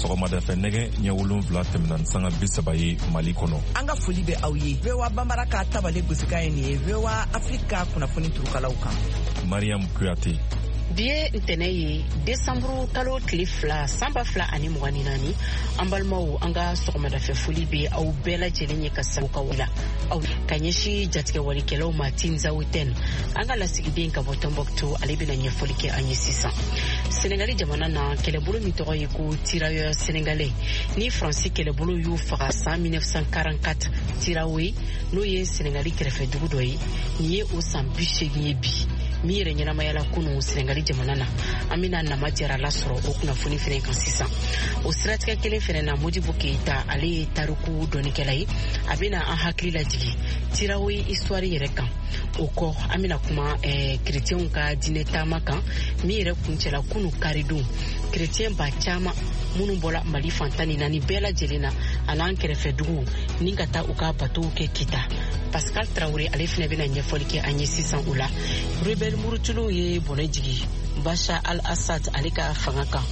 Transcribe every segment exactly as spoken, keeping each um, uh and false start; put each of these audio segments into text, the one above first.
Sɔgɔmada fɛ nɛgɛ ɲɛ wolonwula tɛmɛna ni sanga bi saba ye Mali kɔnɔ. An ka foli bɛ aw ye. V O A Banbara ka tabale gosikan ye nin ye V O A Afrique ka kunnafoni turukalaw kan. Mariam Kuyate. Bi ye ntɛnɛ ye desanburu kalo tile fila san ba fila ani mugan ni naani. An balimaw, an ka sɔgɔmadafɛ foli bɛ aw bɛɛ lajɛlen ye ka sago ka la aw ka ɲɛsin jatigɛwalikɛlaw ma Tinzawatɛn. An ka lasigiden ka bɔ Tombouctou, ale bɛna ɲɛfɔli kɛ an ye sisan. Senegali jamana na, kɛlɛbolo min tɔgɔ ye ko Tirailleurs sénégalais ni Faransi kɛlɛbolo y'u faga san mille neuf cent quarante-quatre Tirawe, n'o ye Senegali kɛrɛfɛ dugu dɔ ye. Nin ye o san bi seegin ye bi min yɛrɛ ɲɛnamayala kunun Senegali jamana na. An bɛna Nama Jara lasɔrɔ o kunnafoni fɛnɛ kan sisan. O siratigɛ kelen fɛnɛ na, Modibo Keyita, ale ye tariku dɔnnikɛla ye, a bɛna an hakili lajigin Tirawe histoire yɛrɛ kan. O kɔ, an bɛna kuma eh, kerecɛnw ka diinɛ taama kan min yɛrɛ kuncɛla kunu karidon. Kerecɛn ba caman minnu bɔra Mali fan tan ni naani bɛɛ lajɛlen na an'an kɛrɛfɛ duguw ni ka taa u ka batow kɛ Kita. Pascal Traoré, ale fɛnɛ bɛna ɲɛfɔli kɛ an ye sisan o la. Rebelle murutuluw ye bɔnɛ jigi Bashar al-Assad ale ka fanga kan,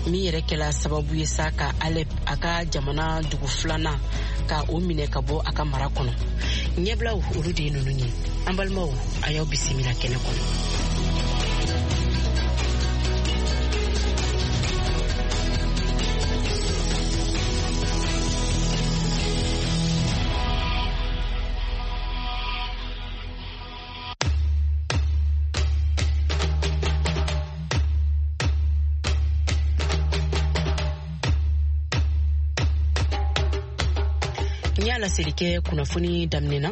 min yɛrɛ kɛla sababu ye sa ka Alep, a ka jamana dugu filanan, ka o minɛ ka bɔ a ka mara kɔnɔ. Ɲɛbilaw olu de ye ninnu ye. An balimaw, a y'aw bisimila kɛnɛ kɔnɔ. Laseli kɛ kunnafoni daminɛ na,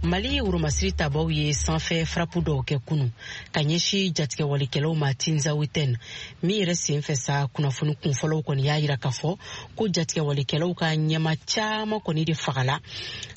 Mali woromasiri tabaw ye sanfɛ farapu dɔw kɛ kunu ka ɲɛsin jatigɛwalikɛlaw ma Tinzawatɛn. Min yɛrɛ sen fɛ sa, kunnafoni kunfɔlɔw kɔni y'a yira k'a fɔ ko jatigɛwalikɛlaw ka ɲɛma caman kɔni de fagala.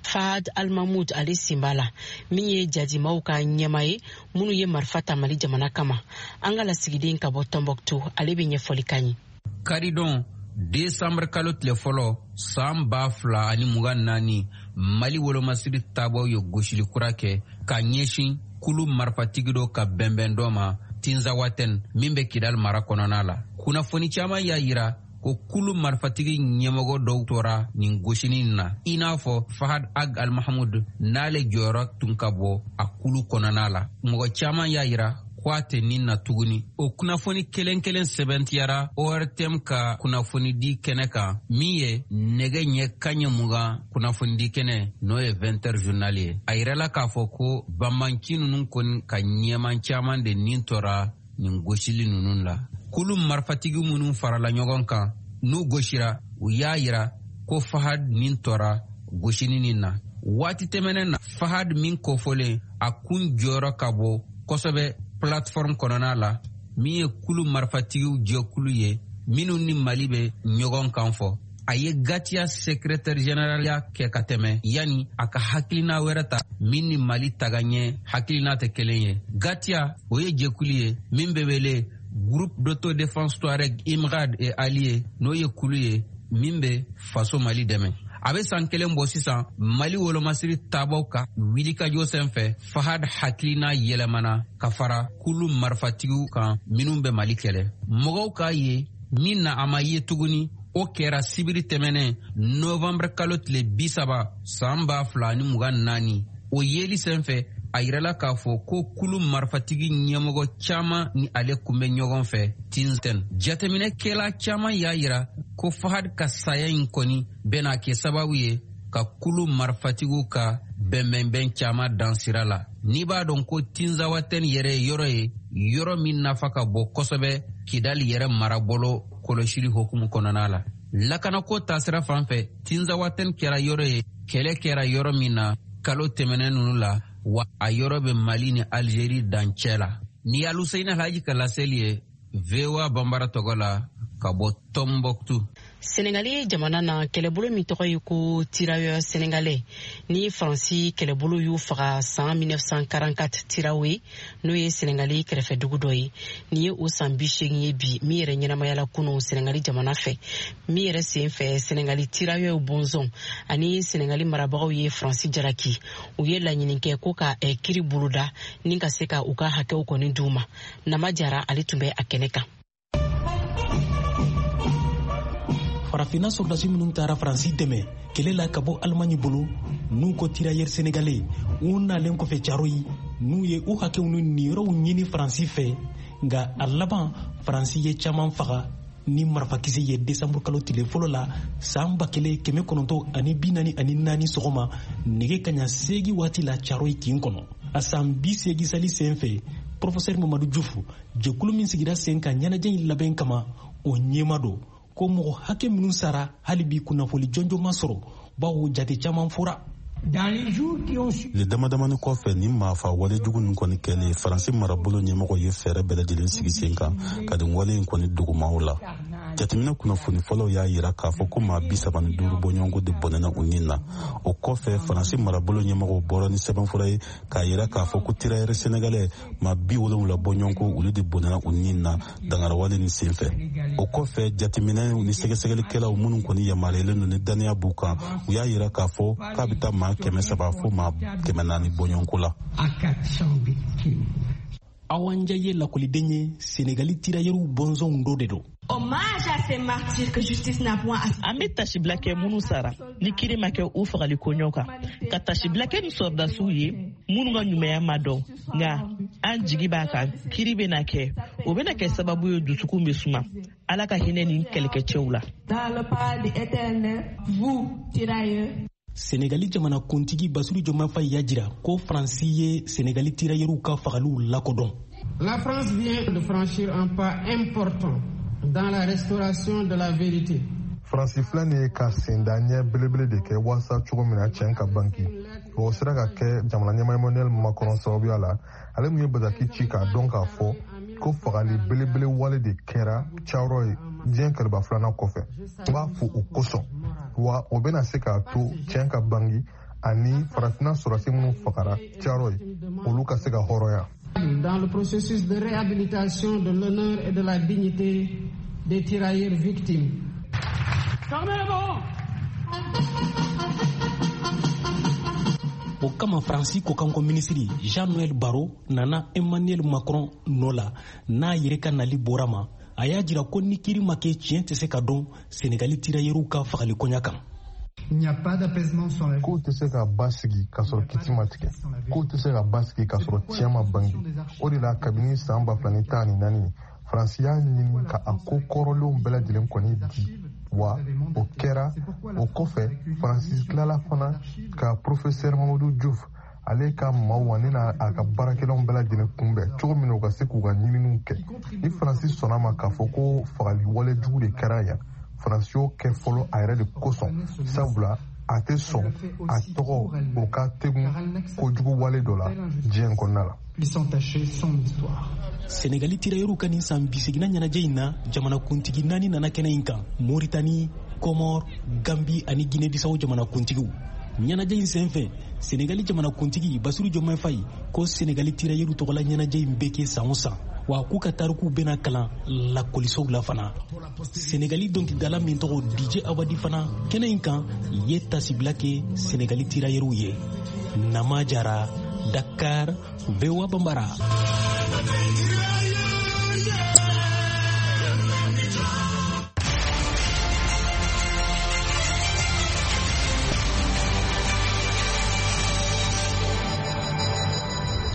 Fahad Al-Mahmoud, ale sen b'a la, min ye jadimaw ka ɲɛma ye minnu ye marifa ta Mali jamana kama. An ka lasigiden ka bɔ Tombouctou, ale bɛ ɲɛfɔli k'an ye. Karidon desanburu kalo tile fɔlɔ san ba fila ani mugan naani, Mali wolomasiri tabaw ye gosili kura kɛ ka ɲɛsin kulu marifatigi dɔ ka bɛnbɛn dɔ ma Tinzawatɛn min bɛ Kidal mara kɔnɔna la. Kunnafoni caman y'a yira ko kulu marifatigi ɲɛmɔgɔ dɔw tora nin gosini na, i n'a fɔ Fahad Ag Al-Mahmoud, n'ale jɔyɔrɔ tun ka bɔ a kulu kɔnɔna la. Mɔgɔ caman y'a yira ko a tɛ nin na tuguni. O kunnafoni kelen kelen sɛbɛntiyara O R T M ka kunnafonidi kɛnɛ kan, min ye nɛgɛ ɲɛ kanɲɛ mugan kunnafonidi kɛnɛ, n'o ye vingt heures journal ye. A yirala k'a fɔ ko banbanci ninnu kɔni ka ɲɛman caman de nin tora nin gosili ninnu la. Kulu marifatigi minnu farala ɲɔgɔn kan n'u gosira, u y'a yira ko Fahad nin tora gosini nin na. Waati tɛmɛnen na, Fahad min kofɔlen, a kun jɔyɔrɔ ka bɔ kosɛbɛ plateforme kɔnɔna la, min ye kulu marifatigiw jɛkulu ye minnu ni Mali bɛ ɲɔgɔn kan fɔ. A ye Gatiya secrétaire général ya kɛ ka tɛmɛ yanni a ka hakilina wɛrɛ ta min ni Mali tagaɲɛ hakilina tɛ kelen ye. Gatiya, o ye jɛkulu ye min bɛ wele Groupe d'autodéfense Touareg Imrad et Alliés, n'o ye kulu ye min bɛ faso Mali dɛmɛ. A bɛ san kelen bɔ sisan, Mali wolomasiri tabaw ka wulikajɔ senfɛ, Fahad hakilina yɛlɛmana ka fara kulu marifatigiw kan minnu bɛ Mali kɛlɛ. Mɔgɔw k'a ye min na a ma ye tuguni, o kɛra sibiri tɛmɛnen novembre kalo tile bi saba san ba fila ani mugan naani. O yeli senfɛ, a yirala k'a fɔ ko kulu marifatigi ɲɛmɔgɔ caman ni ale kun bɛ ɲɔgɔn fɛ Tinzawatɛn. Jateminɛkɛla caman y'a yira ko Fahad ka saya in kɔni bɛna kɛ sababu ye ka kulu marifatigiw ka bɛnbɛnbɛn caman dan sira la. N'i b'a dɔn ko Tinzawatɛn yɛrɛ ye yɔrɔ ye, yɔrɔ min nafa ka bon kosɛbɛ Kidali yɛrɛ marabolo kɔlɔsili hukumu kɔnɔna la. Lakanako taasira fan fɛ, Tinzawatɛn kɛra yɔrɔ ye, kɛlɛ kɛra yɔrɔ min na kalo tɛmɛnen ninnu la, wa a yɔrɔ bɛ Mali ni Algérie dancɛ la. Ni Aluseyini Alhaji ka laseli ye V O A Banbara tɔgɔ la ka bɔ Tombouctou. Senegali jamana na, kɛlɛbolo min tɔgɔ ye ko Tirailleurs sénégalais ni Faransi kɛlɛbolo y'u faga san mille neuf cent quarante-quatre Tirawe, n'o ye Senegali kɛrɛfɛ dugu dɔ ye. Nin ye o san bi seegin ye bi min yɛrɛ ɲɛnamayala kunun Senegali jamana fɛ. Min yɛrɛ sen fɛ, Senegali Tirailleurs bɔnsɔn ani Senegali marabagaw ye Faransi jalaki. U ye laɲini kɛ ko ka, eh, kiri boloda ni ka se ka u ka hakɛw kɔni d'u ma. Nama Jara, ale tun bɛ a kɛnɛ kan. Farafinna sɔrɔdasi minnu taara Faransi dɛmɛ kɛlɛ la ka bɔ Alimaɲi bolo, n'u ko tirailleurs sénégalais, u nalen kɔfɛ Caroyi, n'u ye u hakɛw ni niyɔrɔw ɲini Faransi fɛ, nka a laban Faransi ye caman faga ni marifakisɛ ye desanburu kalo tile fɔlɔ la san ba kelen kɛmɛ kɔnɔntɔn ani bi naani ani naani sɔgɔma nɛgɛ kaɲa seegin waati la Caroyi kin kɔnɔ. A san bi seegin sali sen fɛ, Professeur Mamadu Diouf, jɛkulu min sigira sen kan ɲɛnajɛ in labɛn kama, o ɲɛma don ko mɔgɔ hakɛ minnu sara hali bi kunnafoni jɔnjɔn ma sɔrɔ, bawo jate caman fɔra. Tile dama damani kɔfɛ nin maafa wale jugu nin kɔni kɛlen, Faransi marabolo ɲɛmɔgɔ ye fɛɛrɛ bɛɛ lajɛlen sigi sen kan ka nin wale in kɔni dogomaw la. Jateminɛ kunnafoni fɔlɔw y'a yira k'a fɔ ko maa bi saba ni duuru bɔɲɔgɔnko de bɔnɛna u nin na. O kɔfɛ Faransi marabolo ɲɛmɔgɔw bɔra ni sɛbɛnfura ye k'a yira k'a fɔ ko tirailleurs sénégalais maa bi wolonwula bɔɲɔgɔnko olu de bɔnɛna u nin na dangarawale nin senfɛ. O kɔfɛ jateminɛ ni sɛgɛsɛgɛlikɛlaw minnu kɔni yamaruyalen don ni dannaya b'u kan, u y'a yira k'a fɔ k'a bɛ taa maa kɛmɛ saba fo maa kɛmɛ naani bɔɲɔgɔnko la. Awa Ndiaye ye lakɔliden ye, Senegali tirailleurs bɔnsɔnw dɔ de don. An bɛ tasibila kɛ minnu sara ni kiri ma kɛ u fagali koɲɔ kan, ka tasibila kɛ ni sɔrɔdasiw ye minnu ka ɲumanya ma dɔn, nka an jigi b'a kan kiri bɛna kɛ, o bɛna kɛ sababu ye dusukun bɛ suma. Ala ka hinɛ nin kɛlɛkɛcɛw la. Senegali jamanakuntigi Basiru Diomaye Faye y'a jira ko Faransi ye Senegali tirailleurs ka fagaliw lakodɔn. La France vient de franchir un pas important dans la restauration de la vérité. Faransi filɛ nin ye ka senda ɲɛ belebele de kɛ walasa cogo min na tiɲɛ ka banki. O sera ka kɛ jamana ɲɛmaa Emmanuel Macron sababuya la, ale min ye bataki ci k'a dɔn k'a fɔ ko fagali belebele wale de kɛra Caroyi diɲɛ kɛlɛba filanan kɔfɛ. N b'a fo o kosɔn, wa o bɛna se k'a to tiɲɛ ka bangi ani farafinna sɔrɔdasi minnu fagara Caroyi, olu ka se ka hɔrɔnya. Dans le processus de réhabilitation de l'honneur et de la dignité des tirailleurs victimes. O kama Faransi kɔkanko minisiri Jean-Noël Barrot nana Emmanuel Macron nɔ la n'a yɛrɛ ka nali bɔra ma. A y'a jira ko ni kiri ma kɛ tiɲɛ tɛ se ka dɔn Senegali tirailleurs ka fagali koɲa kan. Kow tɛ se ka basigi k'a sɔrɔ kiti ma tigɛ, kow tɛ se ka basigi k'a sɔrɔ tiɲɛ ma bange. O de la kabini san ba fila ni tan ni naani, Faransi y'a ɲini ka a ko kɔrɔlenw bɛɛ lajɛlen kɔni di, wa o kɛra. O kɔfɛ Faransi tilala fana ka Professeur Mamadou Diouf ale ka maaw ani n'a ka baarakɛlaw bɛɛ lajɛlen kunbɛn cogo min na u ka se k'u ka ɲininiw kɛ. Ni Faransi sɔnna ma k'a fɔ ko fagali wale jugu de kɛra yan, Faransi y'o kɛ fɔlɔ a yɛrɛ de kosɔn, sabula a tɛ sɔn a tɔgɔ o ka tegun kojugu wale dɔ la diɲɛ kɔnɔna la. Senegali tirailleurs ka nin san bi seginna ɲɛnajɛ in na, jamanakuntigi naani nana kɛnɛ in kan: Moritani, Kɔmɔr, Gambi ani Guinée-Bissau jamanakuntigiw. Ɲɛnajɛ in senfɛ, Senegali jamanakuntigi Basiru Diomaye Faye ko Senegali tirailleurs tɔgɔla ɲɛnajɛ in bɛ kɛ san o san, wa k'u ka tarikuw bɛna kalan lakɔlisow la fana. Senegali dɔnkilidala min tɔgɔ D J Awadi fana kɛnɛ in kan ye tasibila kɛ Senegali tirailleurs ye. Nama Jara, Dakar, V O A Bambara.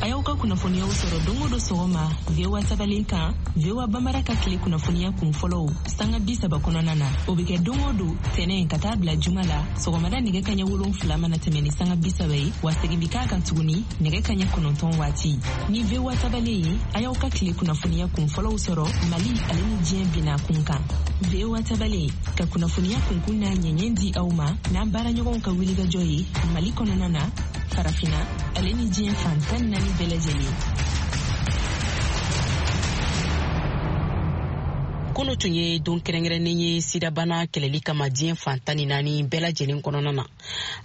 A y'aw ka kunnafoniyaw sɔrɔ don o don sɔgɔma V O A tabalen kan, V O A Bambara ka tile kunnafoniya kun fɔlɔw sanga bi saba kɔnɔna na. O bɛ kɛ don o don tɛnɛn ka taa bila juma la sɔgɔmada nɛgɛ kaɲɛ wolonfila mana tɛmɛ ni sanga bi saba ye, wa segin bɛ k'a kan tuguni nɛgɛ kaɲɛ kɔnɔntɔn waati. Ni V O A tabalen ye, a y'aw ka tile kunnafoniya kun fɔlɔw sɔrɔ Mali ale ni diɲɛ binna kun kan. V O A tabalen ka kunnafoniya kunkun n'a ɲɛɲɛ di aw ma n'an baaraɲɔgɔnw ka wulikajɔ ye Mali kɔnɔna na, Farafinna ale ni diɲɛ fan tan ni naani bɛɛ lajɛlen. Kunu tun ye don kɛrɛnkɛrɛnnen ye sidabana kɛlɛli kama diɲɛ fan tan ni naani bɛɛ lajɛlen kɔnɔna na.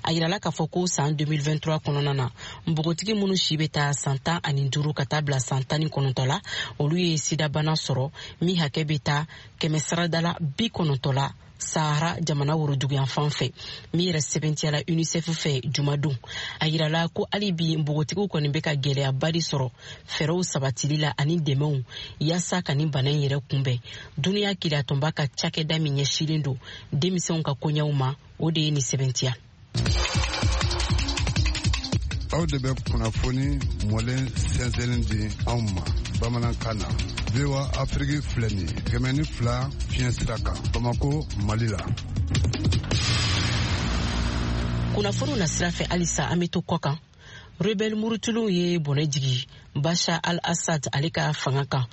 A yirala k'a fɔ ko san deux mille vingt-trois kɔnɔna na, npogotigi minnu si bɛ taa san tan ani duuru ka taa bila san tan ni kɔnɔntɔn la, olu ye sidabana sɔrɔ min hakɛ bɛ taa kɛmɛ sarada la bi kɔnɔntɔn la Sahara jamana woroduguyanfan fɛ, min yɛrɛ sɛbɛntiyala UNICEF fɛ jumadon. A yirala ko hali bi npogotigiw kɔni bɛ ka gɛlɛyaba de sɔrɔ fɛɛrɛw sabatili la ani dɛmɛw yaasa ka nin bana in yɛrɛ kunbɛn. Duniya keleyatɔnba ka cakɛda min ɲɛsilen don denmisɛnw ka koɲɛw ma, o de ye nin sɛbɛntiya. Aw de bɛ kunnafoni mɔlen sɛnsɛnlen di anw ma bamanankan na. V O A Afrique filɛ nin ye kɛmɛ ni fila fiɲɛ sira kan Bamako, Mali la. Kunnafoniw na sira fɛ halisa, an bɛ to kɔ kan. Rebelle murutuluw ye bɔnɛ jigi Bashar al-Assad ale ka fanga kan,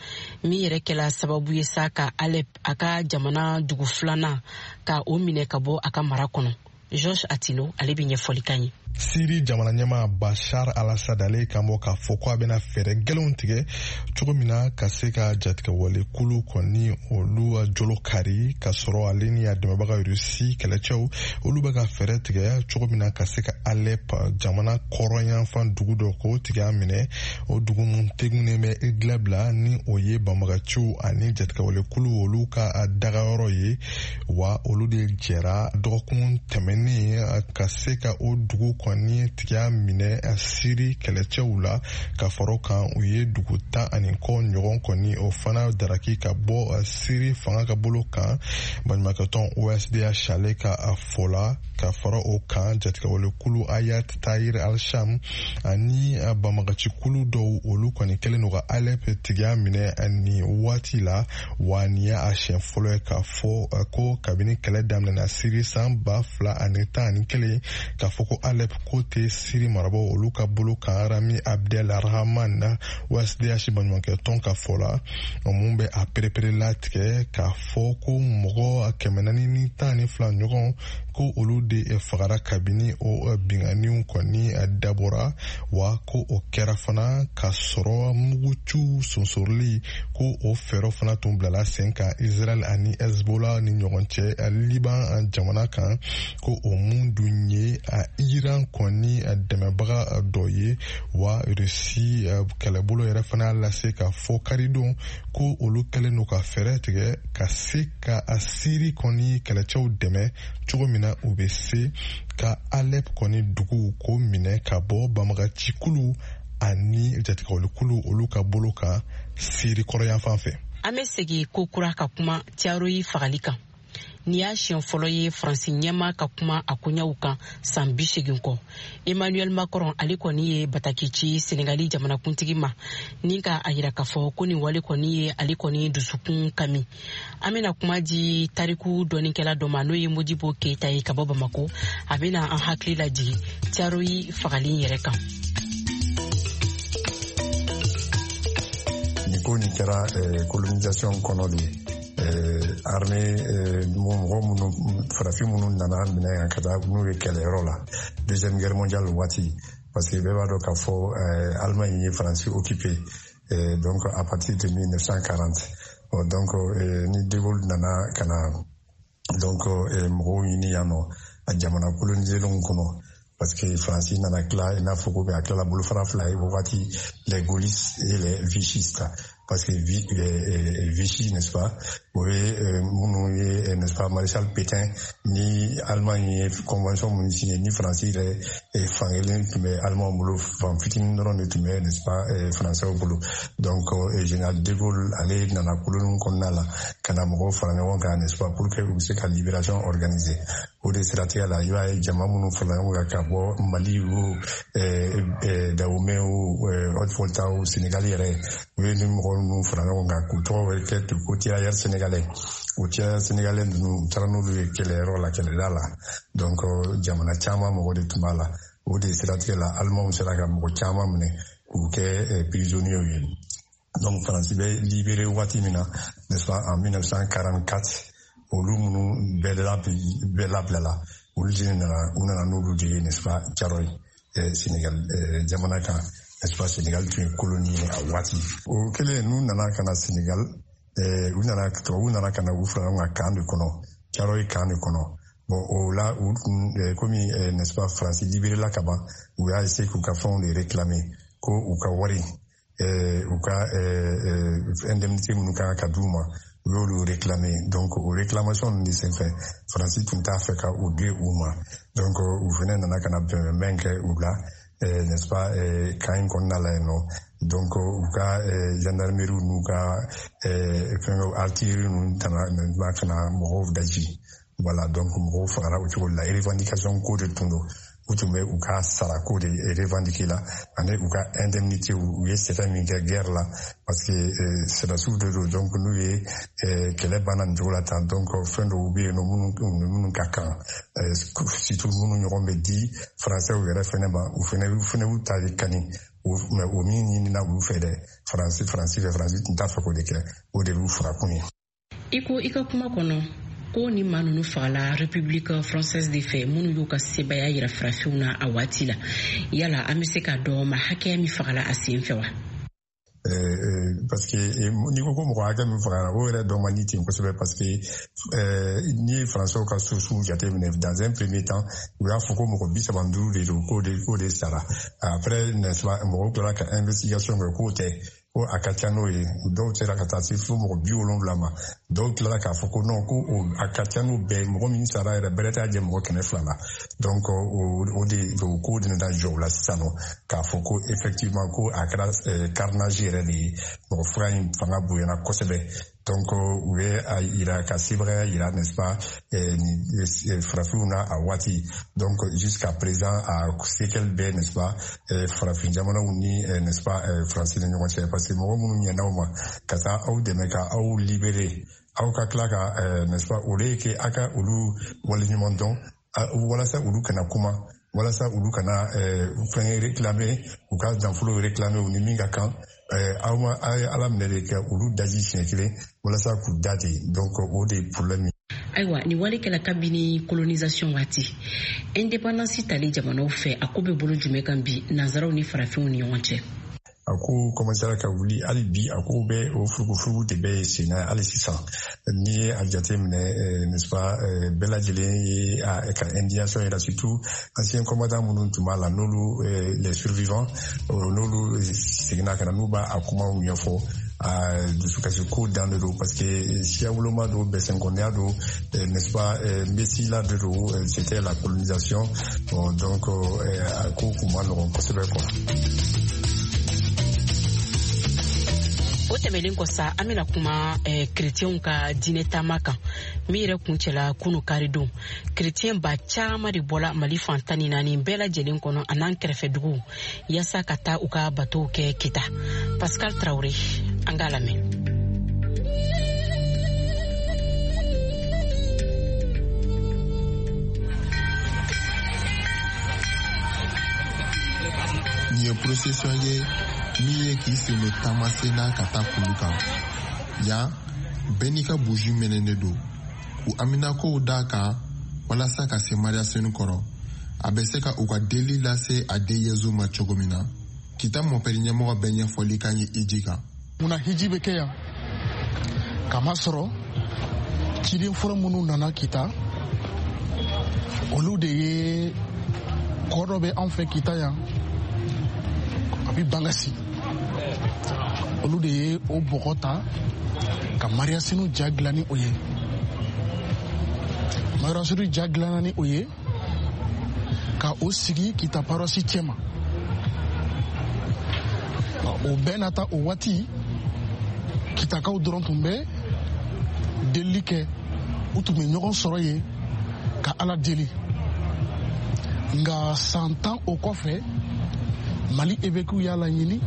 min yɛrɛ kɛla sababu ye sa ka Alep, a ka jamana dugu filanan, ka o minɛ ka bɔ a ka mara kɔnɔ. Georges Attino ale bɛ ɲɛfɔli kan ye. Siri jamana ɲɛmaa Bashar al-Assad ale kan bɔ k'a fɔ ko a bɛna fɛɛrɛ gɛlɛnw tigɛ cogo min na ka se ka jatigɛwale kulu kɔni olu jolo kari, ka sɔrɔ ale ni a dɛmɛbaga Rusi kɛlɛcɛw olu bɛ ka fɛɛrɛ tigɛ cogo min na ka se ka Alep jamana kɔrɔnyanfan dugu dɔ k'o tigɛ a minɛ. O dugu mun tegunnen bɛ Idlib la, ni o ye banbagaciw ani jatigɛwale kulu olu ka dagayɔrɔ ye, wa olu de jɛra dɔgɔkun tɛmɛnen ka se ka o dugu kɔni tigiya minɛ Siri kɛlɛcɛw la. Ka fara kan, u ye dugu tan ani kɔ ɲɔgɔn kɔni o fana daraki ka bɔ Siri fanga ka bolo kan. Baɲumankɛtɔn O S D H ale ka a fɔ la, ka fara o kan, jatigɛwalekulu Hayat Tahrir al-Sham ani banbagacikulu dɔw olu kɔni kɛlen don ka Alep tigiya minɛ nin waati la. Wa nin y'a siɲɛ fɔlɔ ye k'a fɔ ko kabini kɛlɛ daminɛna Siri san ba fila ani tan ani kelen, k'a fɔ ko Alep ko tɛ Siri marabaw olu ka bolo kan. Rami Abdel Rahman, O S D H baɲumankɛtɔn ka fɔ la, mun bɛ a perepere latigɛ k'a fɔ ko mɔgɔ kɛmɛ naani ni tan ni fila ɲɔgɔn ko olu de fagara kabini o binkanniw kɔni dabɔra, wa ko o kɛra fana ka sɔrɔ muguciw sonsoroli ko o fɛɛrɛ fana tun bilala sen kan Israel ani Hezbollah ni ɲɔgɔn cɛ Liban jamana kan, ko o mun dun ye Iran kɔni dɛmɛbaga dɔ ye. Wa Rusi kɛlɛbolo yɛrɛ fana lase ka fɔ karidon ko olu kɛlen don ka fɛɛrɛ tigɛ ka se ka Siri kɔni kɛlɛcɛw dɛmɛ cogo min na u bɛ se ka Alep kɔni dugu ko minɛ ka bɔ banbagacikulu ani jatigɛwalekulu olu ka bolo kan Siri kɔrɔyanfan fɛ. An bɛ segin ko kura ka kuma Thiaroye fagali kan. Nin y'a siɲɛ fɔlɔ ye Faransi ɲɛmaa ka kuma a koɲɛw kan san bi seegin kɔ. Emmanuel Macron ale kɔni ye bataki ci Senegali jamanakuntigi ma, ni ka a yira k'a fɔ ko nin wale kɔni ye ale kɔni dusukun kami. An bɛna kuma di tariku dɔnnikɛla dɔ ma, n'o ye Modibo Keyita ye ka bɔ Bamako. A bɛna an hakili lajigin Thiaroye fagali yɛrɛ kan. Nin ko nin kɛra colonisation kɔnɔ de ye. Armée mɔgɔ minnu farafin minnu nana minɛ yan ka taa n'u ye kɛlɛyɔrɔ la deuxième guerre mondiale waati, parce que bɛɛ b'a dɔn k'a fɔ Allemagne ye Faransi occupé donc à partir de mille neuf cent quarante. Donc ni de Gaulle nana ka na donc mɔgɔw ɲini yan nɔ a jamana colonisélenw kɔnɔ, parce que Faransi nana tila i n'a fɔ ko bɛ a tilala bolofara fila ye wagati, les gaullistes et les vichistes. Parce que Vichy, n'est-ce pas, o ye minnu ye, n'est-ce pas, Maréchal Pétain ni Allemagne ye convention minnu signé ni Faransi yɛrɛ fankelen tun bɛ Allemagne bolo, fan fitinin dɔrɔn de tun bɛ, n'est-ce pas, Français bolo. Donc général de Gaulle ale nana koloniw kɔnɔna la ka na mɔgɔw fara ɲɔgɔn kan, n'est-ce pas, pour que u bɛ se ka libération organiser. O de siratigɛ la, i b'a ye jama minnu farala ɲɔgɔn kan ka bɔ Mali o Dahomey o Haute-Volta o Sénégal yɛrɛ, u ye ni mɔgɔ ninnu fara ɲɔgɔn kan k'u tɔgɔ bɛ kɛ ten ko tirailleurs sénégalais. O tirailleurs sénégalais ninnu u taara n'olu ye kɛlɛyɔrɔ la, kɛlɛda la. Donc jamana caman mɔgɔ de tun b'a la. O de siratigɛ la, Allemands sera ka mɔgɔ caman minɛ k'u kɛ prisonniers ye. Donc Faransi bɛ libéré waati min na, n'est-ce pas, en mille neuf cent quarante-quatre, olu minnu bɛɛ labilala, olu de nana, u nana n'olu de ye, n'est-ce pas, Thiaroye Sénégal jamana kan, n'est-ce pas. Sénégal tun ye colonie ye a waati. O kɛlen n'u nana ka na Sénégal, u nana tubabuw nana ka na u fara ɲɔgɔn kan camp de kɔnɔ, Thiaroye camp de kɔnɔ. Bon o la u tun komi, n'est-ce pas, Faransi libéré la ka ban, u y'a essayer k'u ka fɛnw de réclamer, ko u ka wari, u ka indemnité minnu kan ka d'u ma, U y'olu réclamer. Donc o réclamation ninnu de senfɛ, Faransi tun t'a fɛ ka o di u ma. Donc u fɛnɛ nana ka na bɛnbɛnbɛn kɛ u la, n'est-ce pas, camp in kɔnɔna la yen nɔ. Donc u ka gendarmerie n'u ka fɛngɛw, artillerie ninnu tana ka na mɔgɔw daji. Voilà, donc mɔgɔw fagara o cogo de la. Revendication ko de tun don. U tun bɛ u ka sarako de revendiquer la, ani u ka indemnité, u ye sɛgɛn min kɛ guerre la, parce que sɛdasiw de don. Donc n'u ye kɛlɛ banna nin cogo la tan, donc fɛn dɔw bɛ yen nɔ minnu minnu ka kan, surtout minnu ɲɔgɔn bɛ di Français yɛrɛ fɛnɛ ma, u fɛnɛ u fɛnɛ y'u ta de kani. Mais o min ɲinina olu fɛ dɛ, Faransi Faransi fɛ, Faransi tun t'a fɛ k'o de kɛ, o de y'u farakun ye. I ko i ka kuma kɔnɔ ko ni maa ninnu fagala République française de fɛ, minnu y'u ka sebaya yira farafinw na a waati la, yala an bɛ se k'a dɔn ma hakɛya min fagala a sen fɛ wa? Parce que n'i ko ko mɔgɔ hakɛ min fagara, o yɛrɛ dɔn man di ten kosɛbɛ, parce que n'i ye Français ka sources jateminɛ, dans un premier temps u y'a fɔ ko mɔgɔ bi saba ni duuru de don, k'o de k'o de sara. Après, n'est-ce pas, mɔgɔw tilala ka investigation kɛ k'o tɛ, ko a ka ca n'o ye. Dɔw sera ka taa se fo mɔgɔ bi wolonwula ma. Dɔw tilala k'a fɔ ko non, ko a ka ca n'o bɛɛ ye, mɔgɔ min sara yɛrɛ bɛrɛ t'a jɛ mɔgɔ kɛmɛ fila la. Donc o de o ko de nana jɔ o la sisan nɔ, k'a fɔ ko effectivement ko a kɛra carnage yɛrɛ de ye, mɔgɔ faga in fanga bonyana kosɛbɛ. Donc u ye a yira ka sebagaya yira, n'est-ce pas, farafinw na a waati. Donc jusqu'à présent a séquelle bɛɛ, n'est-ce pas, farafin jamanaw ni, n'est-ce pas, Faransi ni ɲɔgɔn cɛ, parce que mɔgɔ minnu ɲɛna aw ma ka taa aw dɛmɛ ka aw libérer, aw ka tila ka, n'est-ce pas, o de ye kɛ aw ka olu waleɲuman dɔn, walasa olu kana kuma, walasa olu kana fɛn réclamer, u ka nafolo réclamer u ni min ka kan. Aw ma aw ye ala minɛ de kɛ olu daji siɲɛ kelen walasa k'u da ten. Donc o de ye problème ye. Ayiwa, nin wale kɛla kabini colonisation waati, indépendance tali jamanaw fɛ, a ko bɛ bolo jumɛn kan bi nanzaraw ni farafinw ni ɲɔgɔn cɛ? A ko commencera ka wuli hali bi, a ko bɛ o furugufurugu de bɛ sen na hali sisan. N'i ye a jateminɛ, n'est-ce pas, bɛɛ lajɛlen ye a ka indignation yira, surtout ancien combattant minnu tun b'a la, n'olu les survivants, n'olu seginna ka na, n'u b'a a kumaw ɲɛfɔ, a dusukasi ko dan de don, parce que siya woloma don, bɛsɛnkɔniya don, n'est-ce pas, mesila de don, c'était la colonisation. Bon, donc a ko kun ma nɔgɔn kosɛbɛ quoi. O tɛmɛlen kɔ sa, an bɛna kuma eh, kerecɛnw ka diinɛ taama kan min yɛrɛ kuncɛla kunu karidon. Kerecɛn ba caman de bɔla Mali fan tan ni naani bɛɛ lajɛlen kɔnɔ a n'an kɛrɛfɛ duguw yaasa ka taa u ka batow kɛ Kita. Pascal Traoré, an k'a lamɛn. Nin ye procession ye min ye k'i sen don taamasen na ka taa kulu kan. Yan, bɛɛ n'i ka buji mɛnɛnen don k'u haminakow d'a kan walasa ka se Mariya senu kɔrɔ, a bɛ se ka u ka deli lase a den Yezu ma cogo min na. Kita mɔpɛri ɲɛmɔgɔ bɛɛ ɲɛfɔli kan ye hiji kan. Munna hiji bɛ kɛ yan? Kamasɔrɔ ciden fɔlɔ minnu nana Kita, olu de ye kɔ dɔ bɛ anw fɛ Kita yan, a bɛ Bangasi. Olu de ye o bɔgɔ ta ka Mariya senu ja dilan ni o ye. Mariya senu ja dilanna ni o ye ka o sigi Kita paroisse cɛma. O bɛɛ n'a ta, o waati Kitakaw dɔrɔn tun bɛ delili kɛ, u tun bɛ ɲɔgɔn sɔrɔ yen ka Ala deli. Nka san tan o kɔfɛ, Mali évêques y'a laɲini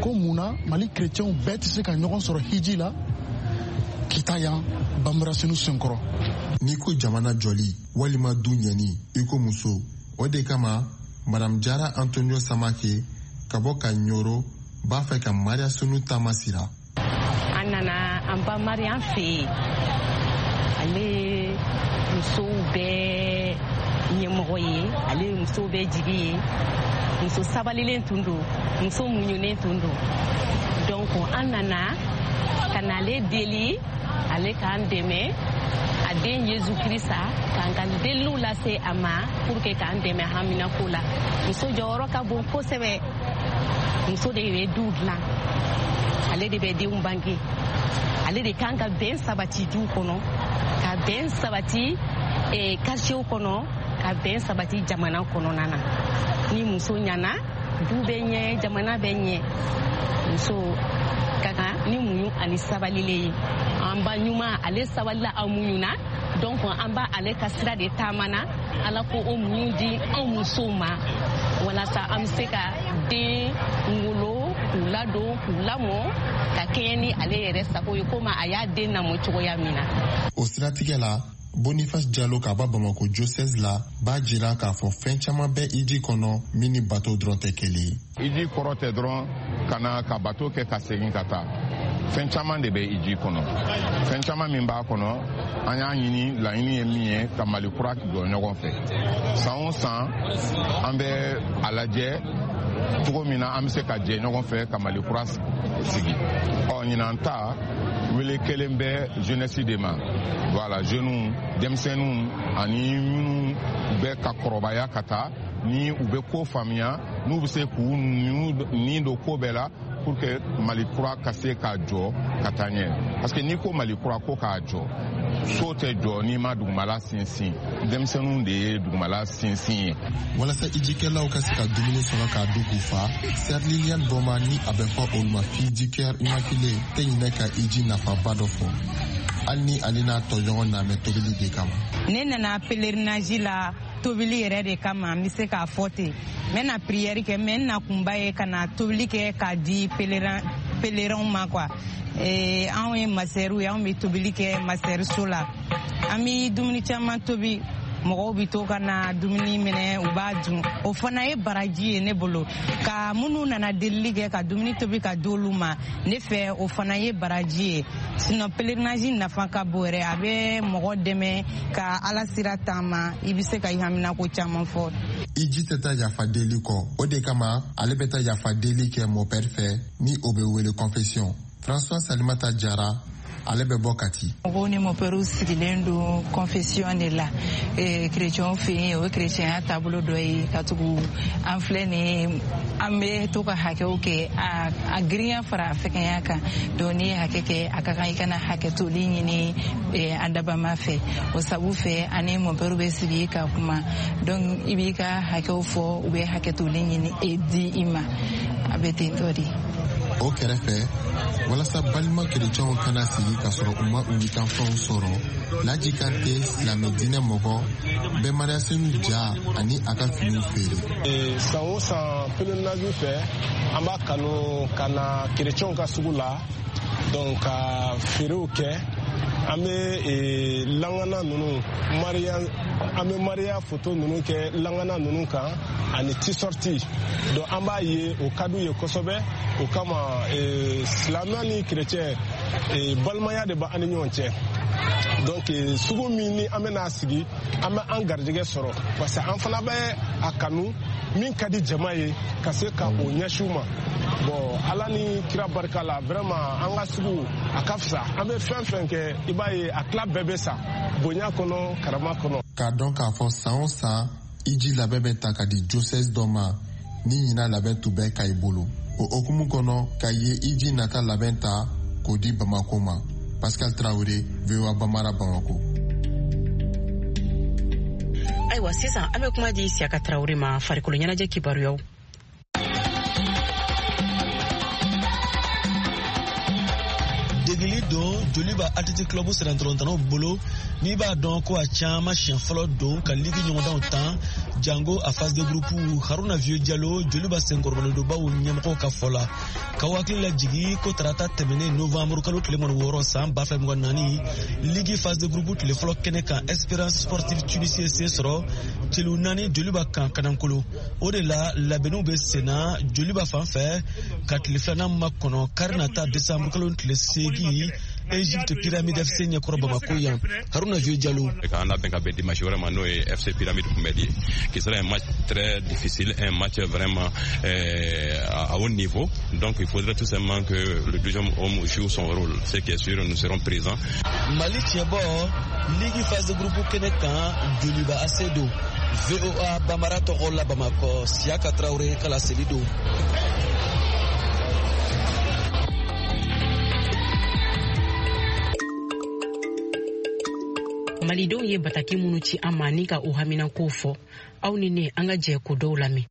ko mun na Mali chrétiens bɛɛ tɛ se ka ɲɔgɔn sɔrɔ hiji la Kita yan Banbara senu senkɔrɔ. N'i ko jamana jɔli walima du ɲɛni, i ko muso. O de kama Madame Jara Antonio Samake ka bɔ ka Ɲoro b'a fɛ ka Mariya senu taama sira. An nana an ba Mariya fɛ yen, ale musow bɛɛ ɲɛmɔgɔ ye, ale ye musow bɛɛ jigi ye. Muso sabalilen tun don, muso muɲunen tun don. Donc an nana ka na ale deli, ale k'an dɛmɛ, a den Yezu Kirisa k'an ka deliliw lase a ma pour que k'an dɛmɛ haminako la. Muso jɔyɔrɔ ka bon kosɛbɛ. Muso de bɛ du dilan, ale de bɛ denw bange. Ale de kan ka bɛn sabati du kɔnɔ, ka bɛn sabati eh, quartier kɔnɔ, ka bɛn sabati jamana kɔnɔna na. Ni muso ɲana, du bɛ ɲɛ, jamana bɛ ɲɛ. Muso ka kan ni muɲu ani sabalile ye. An ba ɲuman, ale sabalila, a muɲuna, donc an b'a ale ka sira de taama na. Ala ko o muɲu di anw musow ma walasa an bɛ se ka den wolo, k'u ladon, k'u lamɔ ka kɛɲɛ ni ale yɛrɛ sago ye, komi a y'a den lamɔ cogoya min na. O siratigɛ la, Boniface Jalo ka bɔ Bamako diocèse la b'a jira k'a fɔ fɛn caman bɛ iji kɔnɔ min ni bato dɔrɔn tɛ kelen ye. Iji kɔrɔ tɛ dɔrɔn ka na ka bato kɛ ka segin ka taa. Fɛn caman de bɛ iji kɔnɔ. Fɛn caman min b'a kɔnɔ, an y'a ɲini, laɲini ye min ye, ka Mali kura jɔ ɲɔgɔn fɛ. San o san, an bɛ a lajɛ cogo min na an bɛ se ka jɛ ɲɔgɔn fɛ ka Mali kura sigi. Ɔ ɲinan ta wele kelen bɛ jeunesse de ma. Voilà, jeunes, denmisɛnninw ani minnu bɛ ka kɔrɔbaya ka taa, ni u bɛ ko faamuya, n'u bɛ se k'u nin don ko bɛɛ la pour que Mali kura ka se k'a jɔ ka taa ɲɛ. Parce que n'i ko Mali kura ko k'a jɔ, so tɛ jɔ n'i ma dugumala sinsin. Denmisɛnninw de ye dugumala sinsin ye. Walasa ijikɛlaw ka se ka dumuni sɔrɔ k'a dun k'u fa, Sœur Liliane Boma ni a bɛ fɔ olu ma Fille du Cœur Immaculée tɛ ɲinɛ ka iji nafaba dɔ fɔ, hali ni ale n'a tɔɲɔgɔn namɛ tobili de kama. Ne nana pèlerinage la tobili yɛrɛ de kama, n bɛ se k'a fɔ ten. N bɛ na prière kɛ, mais n nakunba ye ka na tobili kɛ k'a di pèlerin pèlerinw ma quoi. Ee, anw ye masɛriw ye, anw bɛ tobili kɛ masɛriso la. An bɛ dumuni caman tobi, mɔgɔw bɛ to ka na dumuni minɛ, u b'a dun. O fana ye baraji ye ne bolo. Ka minnu nana delili kɛ ka dumuni tobi ka di olu ma, ne fɛ o fana ye baraji ye. Sinon pèlerinage nafa ka bon yɛrɛ, a bɛ mɔgɔ dɛmɛ ka Ala sira taama, i bɛ se ka i haminako caman fɔ. Iji tɛ taa yafa deli kɔ, o de kama ale bɛ taa yafa deli kɛ mɔpɛri fɛ ni o bɛ wele confession. François Salimata Jara, ale bɛ bɔ Kati. Mɔgɔw ni mɔpɛriw sigilen don confession de la. Kerecɛnw fɛ yen, o ye kerecɛnya taabolo dɔ ye, ka tugu an filɛ nin ye, an bɛ to ka hakɛw kɛ, a girinya fara a fɛgɛnya kan. Donc n'i ye hakɛ kɛ, a ka kan i kana hakɛ toli ɲini an dabama fɛ. O sabu fɛ, ani mɔpɛriw bɛ sigi ka kuma. Donc i b'i ka hakɛw fɔ, u bɛ hakɛ toli ɲini di i ma. A bɛ ten tɔ de. O kɛrɛfɛ, walasa balima kerecɛnw kana sigi k'a sɔrɔ u ma u witanfɛnw sɔrɔ, Laji Kante, silamɛ diinɛ mɔgɔ, bɛ Mariasenu ja ani a ka finiw feere. San o san pèlerinage fɛ, an b'a kanu ka na kerecɛnw ka sugu la, donc ka feerew kɛ. An bɛ langana ninnu, Maria, an bɛ Maria photo ninnu kɛ langana ninnu kan ani t-shirt. Donc an b'a ye o ka d'u ye kosɛbɛ. O kama silamɛ ni kerecɛn balimaya de b'an ni ɲɔgɔn cɛ. Donc sugu min ni an bɛna sigi, an bɛ an garijɛgɛ sɔrɔ, parce que an fana bɛ a kanu min ka di jama ye ka se ka o ɲɛsin u ma. Bon, Ala ni kira barika la, vraiment an ka sugu a ka fisa. An bɛ fɛn fɛn kɛ, i b'a ye a tila bɛɛ bɛ sa bonya kɔnɔ, karama kɔnɔ. K'a dɔn k'a fɔ san o san iji labɛn bɛ ta ka di diocèse dɔ ma ni ɲinan labɛn tun bɛ Kayi bolo. O hokumu kɔnɔ, Kayi ye iji nata labɛn ta k'o di Bamako ma. Pascal Traoré, V O A Bamara, Bamako. Ayiwa, sisan an bɛ kuma di Siyaka Traoré ma farikolo ɲɛnajɛ kibaruyaw. Degeli don Joliba Athletic Club sirantɔrɔntanaw bolo, n'i b'a dɔn ko a caman siɲɛ fɔlɔ don ka ligi ɲɔgɔndanw tan jango a phase de groupe. Haruna Vieux Jalo, Joliba senkɔrɔmadonbaw ɲɛmɔgɔw ka fɔ la, k'aw hakili lajigi ko tarata tɛmɛnen novembre kalo tile mugan ni wɔɔrɔ san ba fila mugan naani, ligi phase de groupe tile fɔlɔ kɛnɛ kan, Esperance Sportive Tunisie se sɔrɔ celu naani Joliba kan Kanankolo. O de la labɛnniw bɛ senna Joliba fan fɛ ka tile filanan makɔnɔ kari nata décembre kalo tile seegin Egypte Pyramide F C ɲɛkɔrɔ Bamako yan. Haruna Vieux Jalo. K'an labɛn ka bɛn dimanche wɛrɛ ma, n'o ye F C Pyramide kunbɛli ye, qui sera un match très difficile, un match vraiment euh, à haut niveau. Donc il faudrait tout simplement que le deuxième homme joue son rôle. Ce qui est sûr, nous serons présents. Mali tiɲɛbɔ Ligue phase de groupe kɛnɛ kan, Joliba A C don. V O A Bamara tɔgɔ la Bamakɔ, Siyaka Traoré ka laseli don. Malidenw ye bataki minnu ci an ma ni ka u haminankow fɔ, aw ni ne an ka jɛ ko dɔw lamɛn.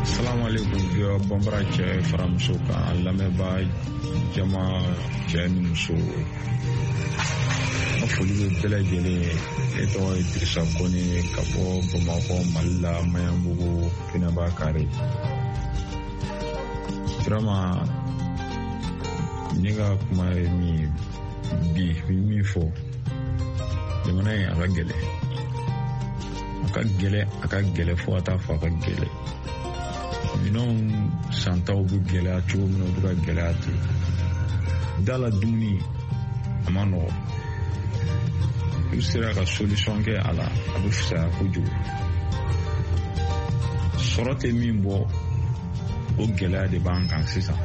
Assalamu alaikum V O A Bambara cɛ fara muso kan, lamɛnbaa jama cɛ ni muso, n ka foli bɛ bɛɛ lajɛlen ye. Ne tɔgɔ ye Dirisa Kone ka bɔ Bamakɔ, Mali la, Maɲanbugu, Pinaba Kare. Vraiment, ne ka kuma ye min ye bi, n bɛ min fɔ, jamana in a ka gɛlɛn, a ka gɛlɛn, a ka gɛlɛn fo ka taa fɔ a ka gɛlɛn. Minɛnw santaw bɛ gɛlɛya cogo min na, u bɛ ka gɛlɛya ten. Da la dumuni a ma nɔgɔ, n'u sera ka solution kɛ a la, a bɛ fisaya kojugu. Sɔrɔ tɛ min bɔ, o gɛlɛya de b'an kan sisan.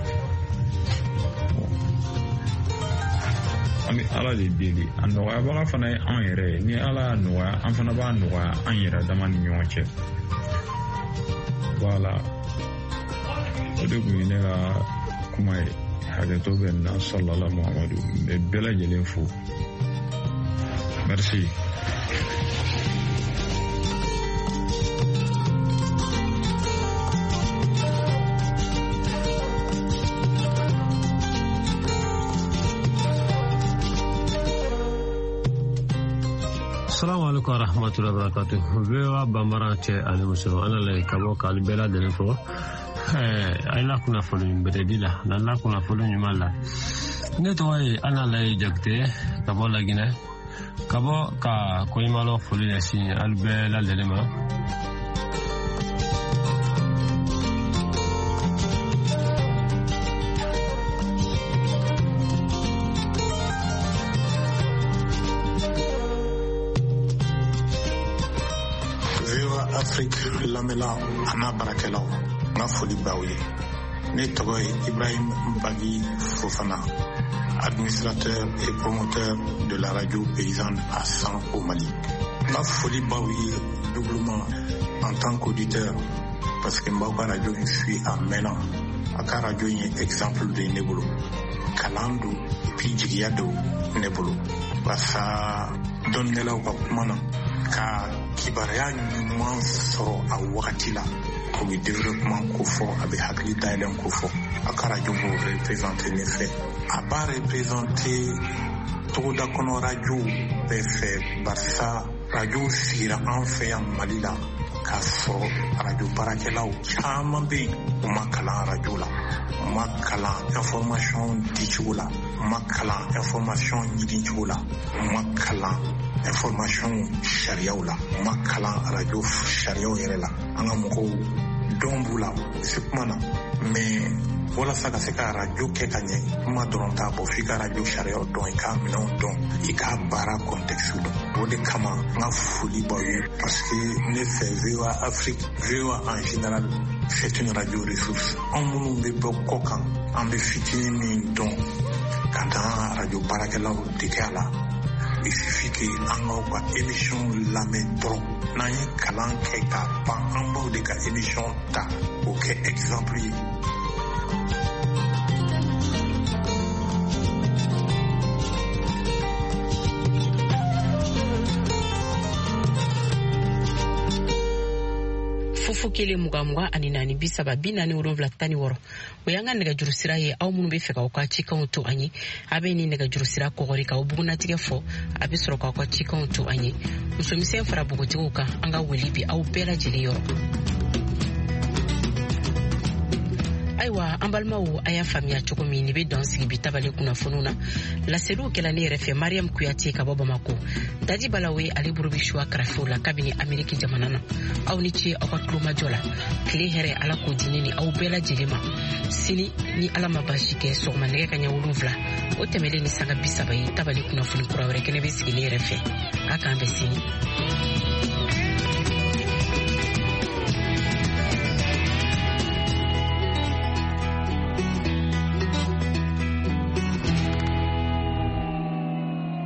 An bɛ Ala de deli, a nɔgɔyabaga fana ye anw yɛrɛ ye. Ni Ala y'a nɔgɔya, an fana b'a nɔgɔya an yɛrɛ dama ni ɲɔgɔn cɛ. Voilà, o de kun ye ne ka kuma ye. Hakɛto bɛ n na, salala Muhamadu, n bɛ bɛɛ lajɛlen fo. Merci. Assalamu alaikum warahmatullahi wabarakatuh. V O A Bambara cɛ ani muso, an nana ka bɔ k'ale bɛɛ lajɛlen fo. Ɛɛ, a ye kunnafoni bɛrɛdi la, n'an la kunnafoni ɲuman la. Ne tɔgɔ ye Analaye Jakite ka bɔ Laginɛ, ka bɔ ka koɲumanlɔ foli ɲɛsin alu bɛɛ lajɛlen ma. V O A Afrique lamɛnla a n'a baarakɛlaw, n ka foli b'aw ye. Ne tɔgɔ ye Ibrahim Bagi Fofana, administrateur et promoteur de la radio paysanne à San au Mali. N ka foli b'aw ye doublement en tant qu'auditeur, parce que n b'aw ka radio in suit a mɛnna. A ka radio in ye exemple de ye ne bolo. Kalan don, et puis jigiya don ne bolo. Barisa dɔnnikɛlaw ka kuma na, ka kibaruya ɲuman sɔrɔ a wagati la, o bɛ développement ko fɔ, a bɛ hakili dayɛlɛn ko fɔ. A ka radio b'o représenter ne fɛ. A b'a représenter togoda kɔnɔ radio bɛɛ fɛ, barisa radio sigira an fɛ yan Mali la k'a sɔrɔ radio baarakɛlaw caman bɛ yen, u ma kalan radio la, u ma kalan information dicogo la, u ma kalan information ɲinicogo la, u ma kalan information sariyaw la, u ma kalan radio sariyaw yɛrɛ la. An ka mɔgɔw dɔn b'u la, u bɛ se kuma na, mais walasa ka se ka radio kɛ ka ɲɛ, kuma dɔrɔn t'a bɔ, f'i ka radio sariyaw dɔn, i k'a minɛnw dɔn, i k'a baara contexte dɔn. O de kama n ka foli b'aw ye, parce que ne fɛ V O A Afrique, V O A en général, c'est une radio ressource. Anw minnu bɛ bɔ kɔ kan, an bɛ fitinin min dɔn ka dan radio baarakɛlaw dege a la. Il suffit que an k'aw ka émission lamɛn dɔrɔn. N'an ye kalan kɛ k'a ban, an b'aw de ka émission ta k'o kɛ exemple ye. Fufu kelen mugan mugan ani naani bi saba bi naani wolonwula tan ni wɔɔrɔ, o y'an ka nɛgɛjuru sira ye. Aw minnu bɛ fɛ k'aw ka cikanw to an ye, a bɛ nin nɛgɛjuru sira kɔgɔri k'aw bugunnatigɛ fɔ, a bɛ sɔrɔ k'aw ka cikanw to an ye. Musomisɛn fara npogotigiw kan, an ka wele bi aw bɛɛ lajɛlen yɔrɔ. Ayiwa, an balimaw, a y'a faamuya cogo min, nin bɛ dan sigi bi tabale kunnafoniw na. Laseliw kɛla ne yɛrɛ fɛ Mariam Kuyate ka bɔ Bamako. Daji Balawe ale bolo bɛ suwa karafew la kabini Ameriki jamana na. Aw ni ce aw ka tulomajɔ la. Tile hɛrɛ, Ala k'o di ne ni aw bɛɛ lajɛlen ma. Sini ni Ala ma baasi kɛ, sɔgɔma nɛgɛ kaɲɛ wolonwula, o tɛmɛlen ni sanga bi saba ye, tabale kunnafoni kura wɛrɛ kɛnɛ bɛ sigi ne yɛrɛ fɛ. A k'an bɛn sini.